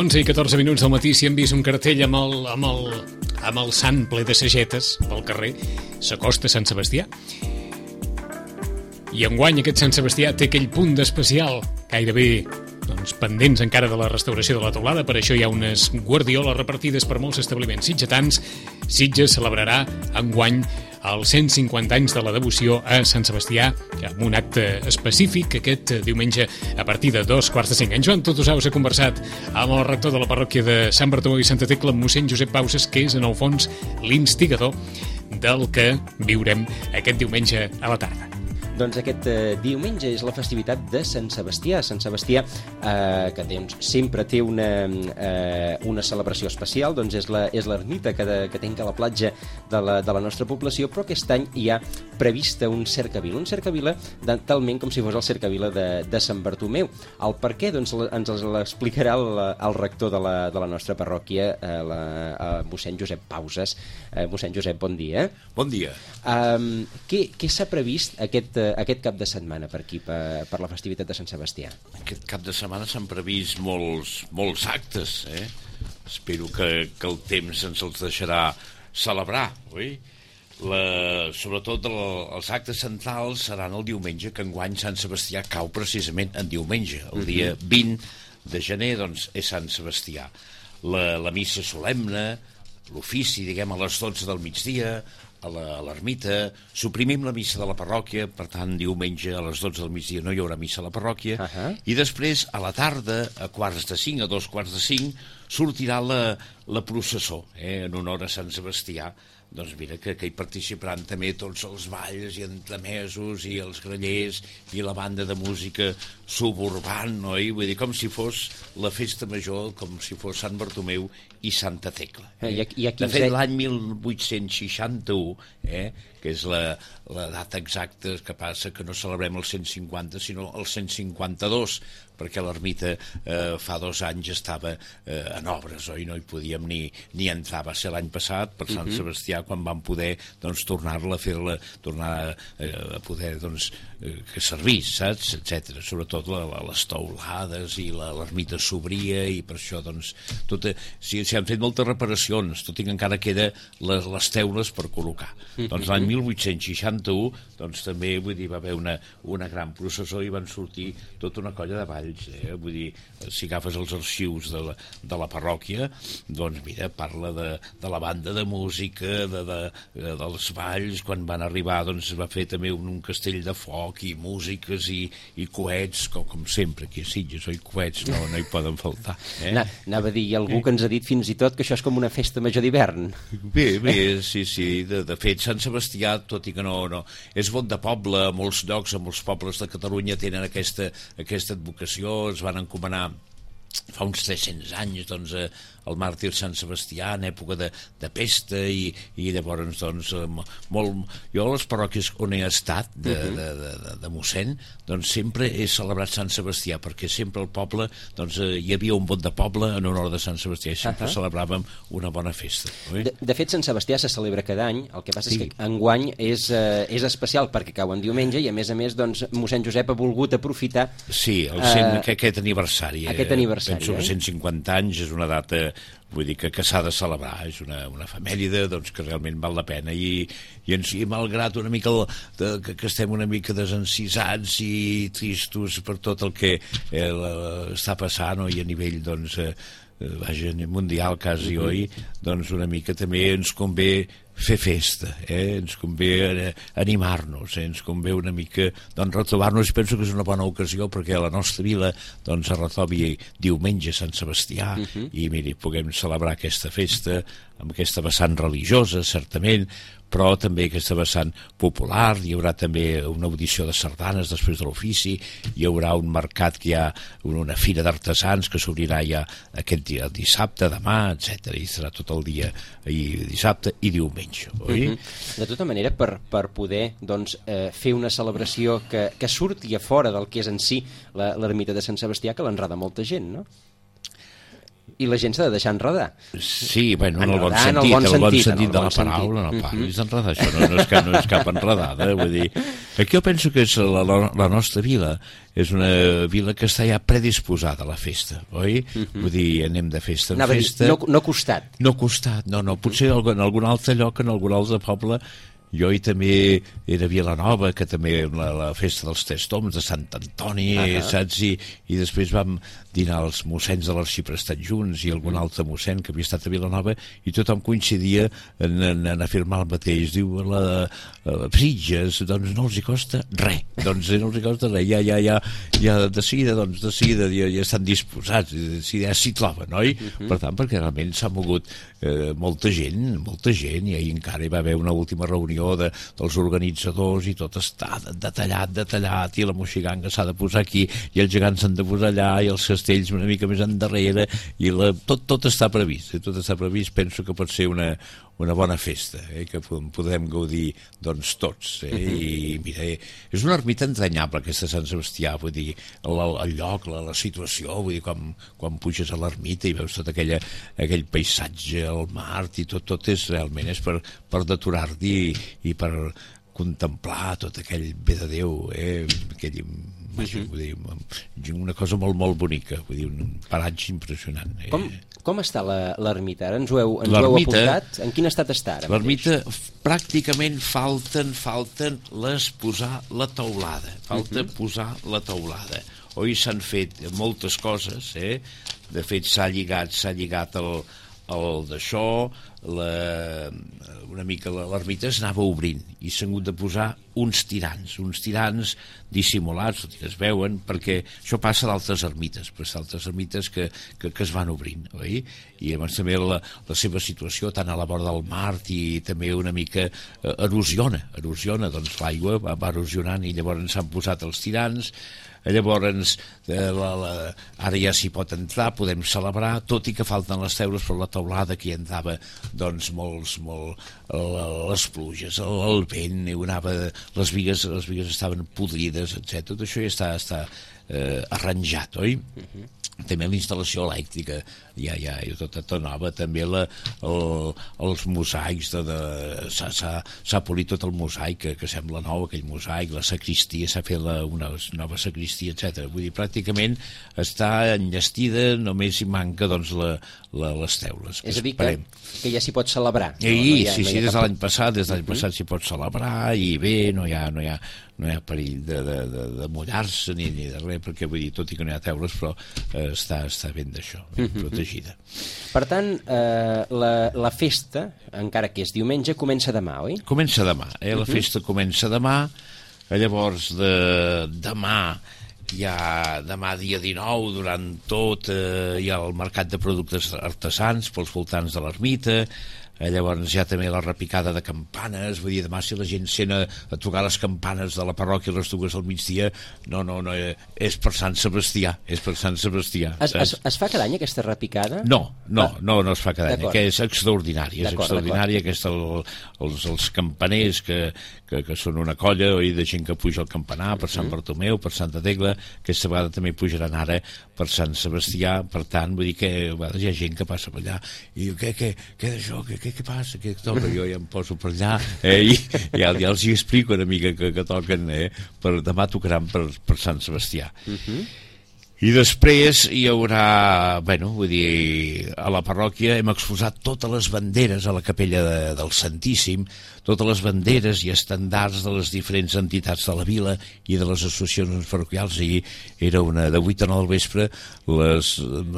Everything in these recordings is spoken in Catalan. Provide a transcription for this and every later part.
11 i 14 minuts del matí, si hem vist un cartell amb el sant ple de sagetes pel carrer, s'acosta Sant Sebastià. I enguany aquest Sant Sebastià té aquell punt d'especial, gairebé pendents encara de la restauració de la teulada. Per això hi ha unes guardioles repartides per molts establiments sitgetans. Sitges celebrarà enguany els 150 anys de la devoció a Sant Sebastià, amb un acte específic aquest diumenge a partir de 2:45. En Joan Totosaus ha conversat amb el rector de la parròquia de Sant Bartomeu i Santa Tecla, mossèn Josep Pauses, que és en el fons l'instigador del que viurem aquest diumenge a la tarda. Doncs aquest diumenge és la festivitat de Sant Sebastià. Sant Sebastià, que sempre té una celebració especial, doncs és l'ermita que tanca la platja de la nostra població, però aquest any hi ha prevista un cercavila. Un cercavila talment com si fos el cercavila de Sant Bartomeu. El per què? Doncs ens l'explicarà el rector de la nostra parròquia, mossèn Josep Pauses. Mossèn Josep, bon dia. Bon dia. Què s'ha previst aquest cap de setmana per aquí, per la festivitat de Sant Sebastià? Aquest cap de setmana s'han previst molts actes, Espero que el temps ens els deixarà celebrar, oi? Sobretot els actes centrals seran el diumenge, que enguany Sant Sebastià cau precisament en diumenge. El dia 20 de gener, doncs, és Sant Sebastià. La missa solemne, l'ofici, diguem, a les 12 del migdia, a l'ermita. Suprimim la missa de la parròquia, per tant, diumenge a les 12 del migdia no hi haurà missa a la parròquia, i després, a la tarda, a 4:45, a 2:45, sortirà la processó, en honor a Sant Sebastià. Doncs mira, que hi participaran també tots els balls i entremesos i els grallers i la banda de música suburbant, oi? Vull dir, com si fos la festa major, com si fos Sant Bartomeu i Santa Tecla. De fet, l'any 1861, que és la data exacta, que passa que no celebrem el 150, sinó el 152, perquè l'ermita fa 2 anys estava en obres, oi? No hi podíem ni entrar. Va ser l'any passat, per Sant Sebastià, quan vam poder tornar-la a fer-la, tornar a poder que servís, saps? Etcètera. Sobretot les teulades i l'ermita s'obria, i per això s'hi han fet moltes reparacions, tot i que encara queda les teules per col·locar. Doncs l'any 1861 també, vull dir, va haver una gran processó i van sortir tota una colla de balls. Vull dir, si agafes els arxius de la parròquia, doncs mira, parla de la banda de música, dels balls. Quan van arribar, doncs va fer també un castell de foc i músiques i coets, com sempre aquí a Sitges, oi? Coets no hi poden faltar. Anava a dir, hi ha algú que ens ha dit fins i tot que això és com una festa major d'hivern. Bé, sí. De fet, Sant Sebastià, tot i que no és vot de poble, a molts llocs, a molts pobles de Catalunya tenen aquesta advocació. Es van encomanar fa uns 300 anys el màrtir Sant Sebastià en època de pesta, i llavors jo a les parròquies on he estat de mossèn, sempre he celebrat Sant Sebastià, perquè sempre al poble hi havia un vot de poble en honor de Sant Sebastià i sempre celebràvem una bona festa. De fet, Sant Sebastià se celebra cada any. El que passa és que enguany és especial perquè cau en diumenge, i a més mossèn Josep ha volgut aprofitar aquest aniversari. Penso que 150 anys és una data, vull dir, que s'ha de celebrar. És una efemèride que realment val la pena, i malgrat una mica que estem una mica desencisats i tristos per tot el que està passant, i a nivell mundial quasi, oi? Una mica també ens convé fer festa, ens convé animar-nos, ens convé una mica retrobar-nos, i penso que és una bona ocasió perquè a la nostra vila es retrobi diumenge Sant Sebastià, i miri, puguem celebrar aquesta festa amb aquesta vessant religiosa, certament, però també aquesta vessant popular. Hi haurà també una audició de sardanes després de l'ofici, hi haurà un mercat, que hi ha una fira d'artesans que s'obrirà ja aquest dia, dissabte, demà, etc. I serà tot el dia, dissabte i diumenge, oi? De tota manera, per poder fer una celebració que surti a fora del que és en si l'ermita de Sant Sebastià, que l'enreda molta gent, no? I la gent s'ha de deixar enredar. Sí, bueno, en el bon sentit de la paraula, no parlis d'enredar, això no és cap enredada, vull dir, Aquí jo penso que és la nostra vila és una vila que està ja predisposada a la festa, oi? Vull dir, anem de festa en festa. No costat. No costat, no. Potser en algun altre lloc, en algun altre poble. Jo hi també era a Vilanova, que també la festa dels Tres Toms de Sant Antoni, saps? I després vam dinar els mossens de l'Arxiprestat junts i algun altre mossèn que havia estat a Vilanova i tothom coincidia en afirmar el mateix. Diu, la Sitges, doncs no els hi costa res. Doncs no els hi costa res. Ja de seguida ja estan disposats, ja s'hi troben, oi? Per tant, perquè realment s'ha mogut molta gent, i ahir encara hi va haver una última reunió dels organitzadors i tot està detallat i la moixiganga s'ha de posar aquí i els gegants s'han de posar allà i els castells una mica més endarrere i tot està previst, penso que pot ser una bona festa, que podrem gaudir doncs tots, i mira, és una ermita entranyable aquesta Sant Sebastià, vull dir, el lloc, la situació, vull dir, quan puges a l'ermita i veus tot aquell paisatge, el mar i tot és realment per deturar-t'hi i per contemplar tot aquell bé de Déu, vull dir, una cosa molt, molt bonica, vull dir, un paratge impressionant. Com està l'ermita? Ara ens ho heu apuntat. En quin estat està ara? L'ermita pràcticament falten posar la teulada. Posar la teulada. Oi, s'han fet moltes coses, de fet s'ha lligat el d'això, una mica l'ermita es anava obrint i s'han hagut de posar uns tirants dissimulats, que es veuen, perquè això passa d'altres ermites, que es van obrint, oi? I llavors també la seva situació, tant a la vora del mar i també una mica erosiona, doncs l'aigua va erosionant i llavors s'han posat els tirants. Llavors ara ja s'hi pot entrar, podem celebrar, tot i que falten les teules, però la teulada que hi entrava doncs molt les pluges, el vent, les bigues estaven podrides, etc. Tot això ja està arranjat, oi? També la instal·lació elèctrica ja tot nova, també els mosaics s'ha polit tot el mosaic que sembla nou, aquell mosaic, la sacristia, s'ha fet una nova sacristia, etc. Vull dir, pràcticament està enllestida, només hi manca doncs les teules. És a dir, que ja s'hi pot celebrar. Sí, des de l'any passat s'hi pot celebrar i bé, no hi ha perill de mullar-se ni de res, perquè vull dir, tot i que no hi ha teules, però està ben d'això, protegida. Per tant, la festa, encara que és diumenge, comença demà, oi? Comença demà, la festa comença demà, llavors demà dia 19, durant tot hi ha el mercat de productes artesans pels voltants de l'ermita. Llavors hi ha també la repicada de campanes, vull dir, demà si la gent sent a tocar les campanes de la parròquia a les 2 del migdia, no, és per Sant Sebastià, Es fa cada any aquesta repicada? No es fa cada any, que és extraordinària, els campaners que són una colla de gent que puja al campanar per Sant Bartomeu, per Santa Tecla, aquesta vegada també pujaran ara per Sant Sebastià, per tant, vull dir que a vegades hi ha gent que passa per allà i diu, què d'això, què passa, què toca? Jo ja em poso per allà i ja els hi explico una mica que toquen, demà tocaran per Sant Sebastià. I després hi haurà, vull dir, a la parròquia hem exposat totes les banderes a la capella del Santíssim, totes les banderes i estandards de les diferents entitats de la vila i de les associacions parroquials. Ahir era una de 8 a 9 del vespre, les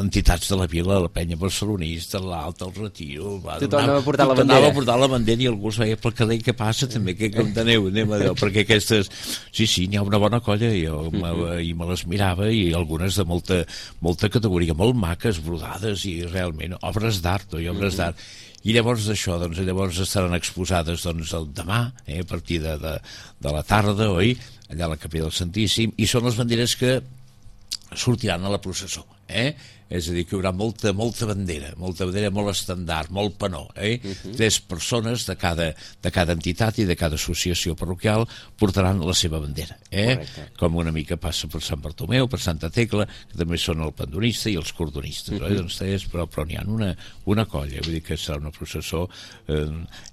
entitats de la vila, la penya barcelonista, l'Alta, el Retiro... Tothom anava a portar la bandera. Anava a portar la bandera i algú es veia pel carrer, què passa també, què enteneu? Perquè aquestes... Sí, n'hi ha una bona colla i me les mirava i algunes de molta categoria, molt maques, brodades i realment obres d'art, I llavors d'això, llavors estaran exposades el demà, a partir de la tarda, oi? Allà a la capella del Santíssim, i són les banderes que sortiran a la processó, és a dir, que hi haurà molta bandera molt estandard, molt panó, 3 persones de cada entitat i de cada associació parroquial portaran la seva bandera, com una mica passa per Sant Bartomeu, per Santa Tecla, que també són el pandonista i els cordonistes, doncs 3, però n'hi ha una colla, vull dir que serà una processó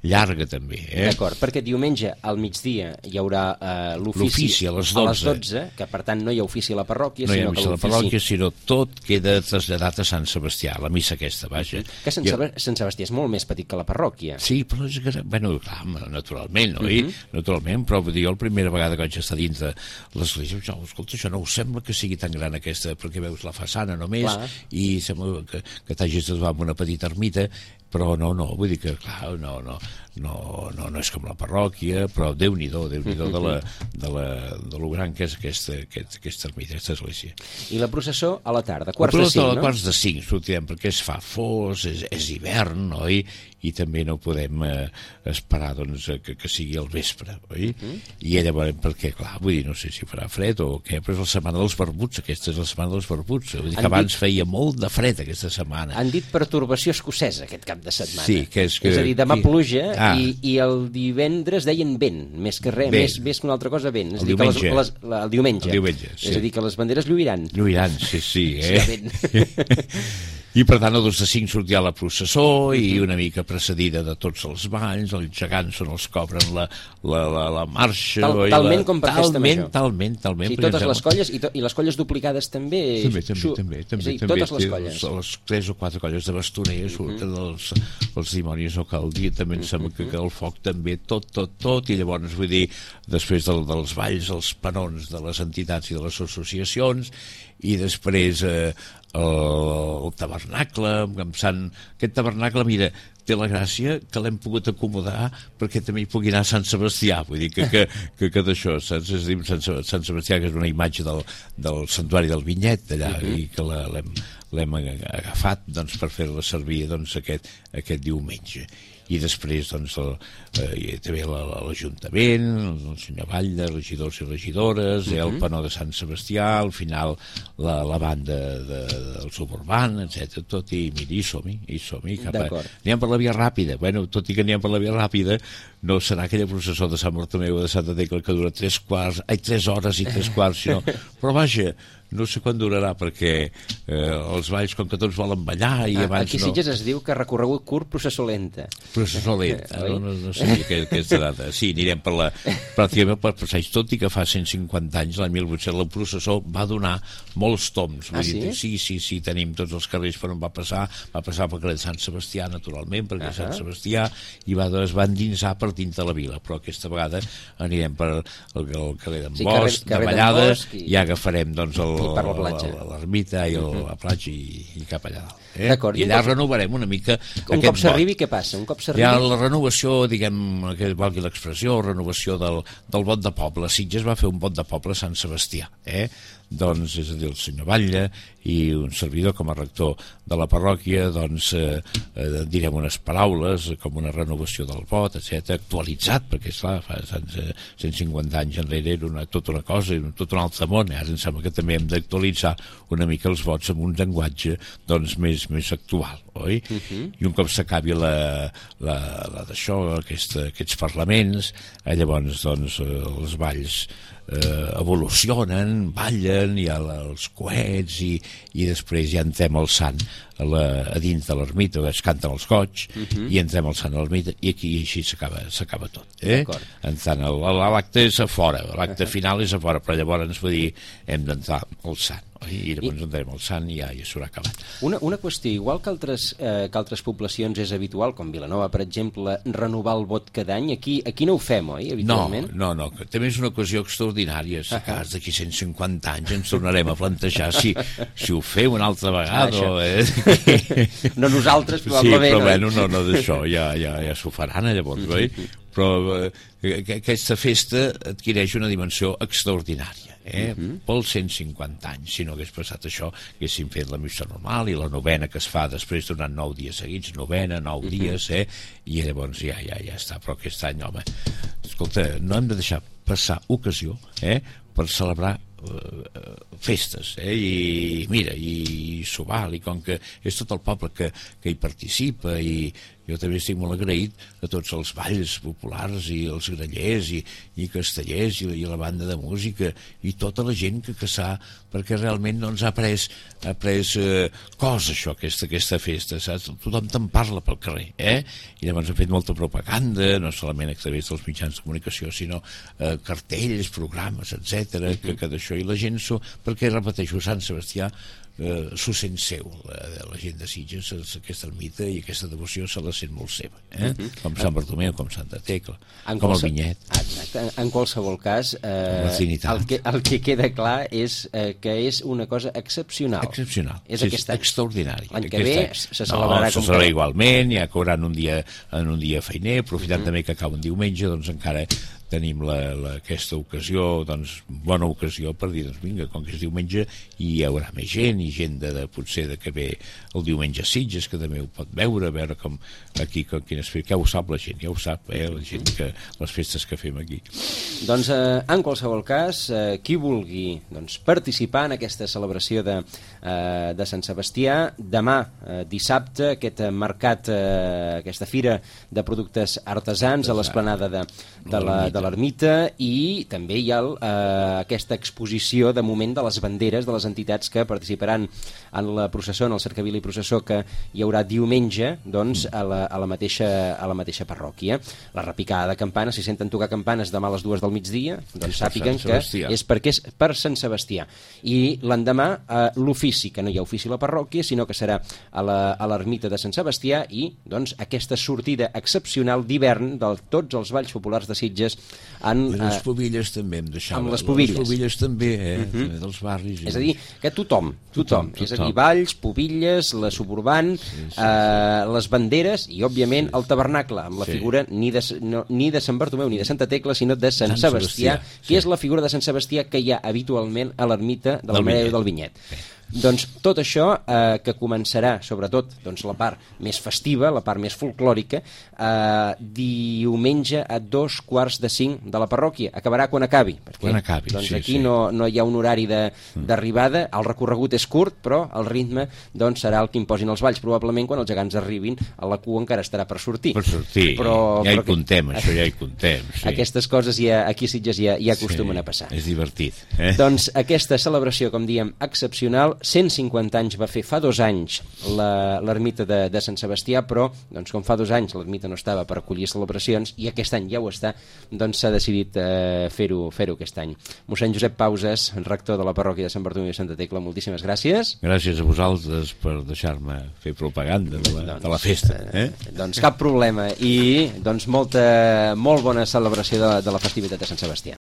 llarga també. D'acord, perquè diumenge al migdia hi haurà l'ofici a les 12, que per tant no hi ha ofici a la parròquia, no hi ha missa a la parròquia, sinó tot queda traslladat a Sant Sebastià, la missa aquesta, vaja. Que Sant Sebastià és molt més petit que la parròquia. Sí, però és que, bueno, clar, naturalment, oi? Naturalment, però vull dir, jo la primera vegada que vaig estar dins de l'església, escolta, això no us sembla que sigui tan gran aquesta, perquè veus la façana només, i sembla que t'hagis de trobar amb una petita ermita, però no, vull dir que, clar, no és com la parròquia, però Déu-n'hi-do de lo gran que és aquesta ermita, aquesta església. I la processó a la tarda, quarts de 5, no? A quarts de 5 sortirem, perquè es fa fos, és hivern, oi? I també no podem esperar doncs, que sigui al vespre, oi? I llavors, perquè, clar, vull dir, no sé si farà fred o què, però és la setmana dels barbuts, aquesta és la setmana dels barbuts, vull dir que abans feia molt de fred aquesta setmana. Han dit pertorbació escocesa aquest cap de setmana. Sí, que és a dir, demà pluja i el divendres deien vent, més que res, més que una altra cosa vent. El diumenge. El diumenge. Sí. És a dir, que les banderes lluiran. Lluiran, sí. I per tant el 2 de 5 sortirà la processó i una mica precedida de tots els balls, els gegants són els que obren la marxa. Talment com per festa major. Talment. Sí, totes les colles i les colles duplicades també. També. Totes les colles. Les 3 o 4 colles de bastoners surten els dimonis o cal dir, també em sembla que el foc també, tot, i llavors vull dir, després dels balls, els panons de les entitats i de les associacions, i després el tabernacle aquest tabernacle, mira, té la gràcia que l'hem pogut acomodar perquè també hi pugui anar Sant Sebastià, vull dir que d'això, saps? És a dir, Sant Sebastià, que és una imatge del santuari del Vinyet d'allà, i que l'hem agafat doncs, per fer-la servir doncs, aquest diumenge. I després doncs, també l'Ajuntament, el senyor Batlle, regidors i regidores, el panó de Sant Sebastià, al final la banda del suburban, etc. Tot, i mira, hi som-hi. Anem per la via ràpida. Bueno, tot i que anem per la via ràpida, no serà aquella processó de Sant Bartomeu o de Santa Tecla que dura 3 hores i 3 quarts, sinó... Però vaja, no sé quan durarà, perquè els balls, com que tots volen ballar i abans aquí Sitges es diu que recorregut curt, processó lenta. Processó lenta, no sé aquesta data. Sí, anirem pràcticament per passeig, tot i que fa 150 anys, l'any 1800, la processó va donar molts toms. Sí, tenim tots els carrers per on va passar pel carrer de Sant Sebastià, naturalment, perquè Sant Sebastià es va endinsar per dins de la vila, però aquesta vegada anirem per el carrer d'en Bosch, de Vallades, i agafarem doncs l'ermita i la platja i cap allà dalt. I allà renovarem una mica un cop s'arribi, què passa? Hi ha la renovació, diguem, que valgui l'expressió, renovació del vot de poble. Sitges va fer un vot de poble a Sant Sebastià, doncs, és a dir, el senyor Batlle i un servidor com a rector de la parròquia, doncs direm unes paraules com una renovació del vot, etc, actualitzat, perquè esclar, fa 150 anys enrere era tota una cosa, tot un altre món. Ara em sembla que també hem d'actualitzar una mica els vots amb un llenguatge doncs més actual, oi? I un cop s'acabi d'això, aquests parlaments, llavors doncs els balls evolucionen, ballen, hi ha els coets i després ja entrem al sant a dins de l'ermita, es canten els goig i entrem al sant a l'ermita i aquí així s'acaba tot. L'acte és a fora, l'acte final és a fora, però llavors vull dir, hem d'entrar al sant i llavors entrem al sant i ja s'haurà acabat. Una qüestió, igual que altres poblacions és habitual, com Vilanova, per exemple, renovar el vot cada any, aquí no ho fem, oi, habitualment? No, també és una ocasió extraordinària, si cas d'aquí 150 anys ens tornarem a plantejar si ho fem una altra vegada. No nosaltres, probablement. Sí, però bueno, no d'això, ja s'ho faran llavors, oi? Però aquesta festa adquireix una dimensió extraordinària. Pels 150 anys, si no hagués passat això, haguéssim fet la missa normal i la novena que es fa després durant 9 dies seguits, 9 dies, i llavors ja està. Però aquest any, home, escolta, no hem de deixar passar ocasió per celebrar festes, i mira, i s'ho val, i com que és tot el poble que hi participa, i jo també estic molt agraït a tots els balls populars i els grallers i castellers i la banda de música i tota la gent que s'ha, perquè realment doncs, ha pres cos això, aquesta festa, saps? Tothom te'n parla pel carrer, i llavors ha fet molta propaganda, no solament a través dels mitjans de comunicació, sinó cartells, programes, etc, que d'això, i la gent perquè repeteixo, Sant Sebastià s'ho sent seu, la gent de Sitges, aquesta ermita i aquesta devoció se la sent molt seva, com Sant Bartomeu, com Santa Tecla, com el Vinyet. Exacte, en qualsevol cas, la Trinitat. El que queda clar és que és una cosa excepcional. Excepcional, és extraordinari. L'any que ve se celebrarà se celebrarà igualment, ja que hauran un dia feiner, aprofitant també que acaba un diumenge, doncs encara tenim aquesta ocasió, doncs, bona ocasió per dir, doncs vinga, com que és diumenge hi haurà més gent, i gent potser que ve el diumenge a Sitges, que també ho pot veure com aquí, ja ho sap la gent, la gent que les festes que fem aquí. Doncs en qualsevol cas, qui vulgui participar en aquesta celebració de Sant Sebastià, demà, dissabte, aquest mercat, aquesta fira de productes artesans a l'esplanada de l'ermita, i també hi ha aquesta exposició de moment de les banderes de les entitats que participaran en la processó, en el cercavil i processó que hi haurà diumenge a la mateixa parròquia. La repicada de campanes, si senten tocar campanes demà a les 2 del migdia, doncs sàpiguen que és perquè és per Sant Sebastià. I l'endemà l'ofici, que no hi ha ofici a la parròquia, sinó que serà a l'ermita de Sant Sebastià, i doncs aquesta sortida excepcional d'hivern de tots els balls populars de Sitges. I les pobilles també em deixava. Amb les pobilles. Les pobilles també, dels barris. És a dir, que tothom. És a dir, balls, pobilles, la suburban, les banderes i, òbviament, el tabernacle, amb la figura ni de Sant Bartomeu ni de Santa Tecla, sinó de Sant Sebastià, que és la figura de Sant Sebastià que hi ha habitualment a l'ermita de la Mare del Vinyet. Doncs tot això, que començarà sobretot la part més festiva, la part més folclòrica, diumenge a 2:45 de la parròquia. Acabarà quan acabi. Doncs aquí no hi ha un horari d'arribada, el recorregut és curt, però el ritme serà el que imposin els balls. Probablement quan els gegants arribin a la cua encara estarà per sortir. Ja hi contem, això ja hi contem. Aquestes coses aquí a Sitges ja acostumen a passar. És divertit. Doncs aquesta celebració, com diem, excepcional. 150 anys va fer fa 2 anys l'ermita de Sant Sebastià, però com fa 2 anys l'ermita no estava per acollir celebracions i aquest any ja ho està, doncs s'ha decidit fer-ho aquest any. Mossèn Josep Pauses, rector de la parròquia de Sant Bartomeu i Santa Tecla, moltíssimes gràcies. Gràcies a vosaltres per deixar-me fer propaganda de la festa. Doncs cap problema, i molt bona celebració de la festivitat de Sant Sebastià.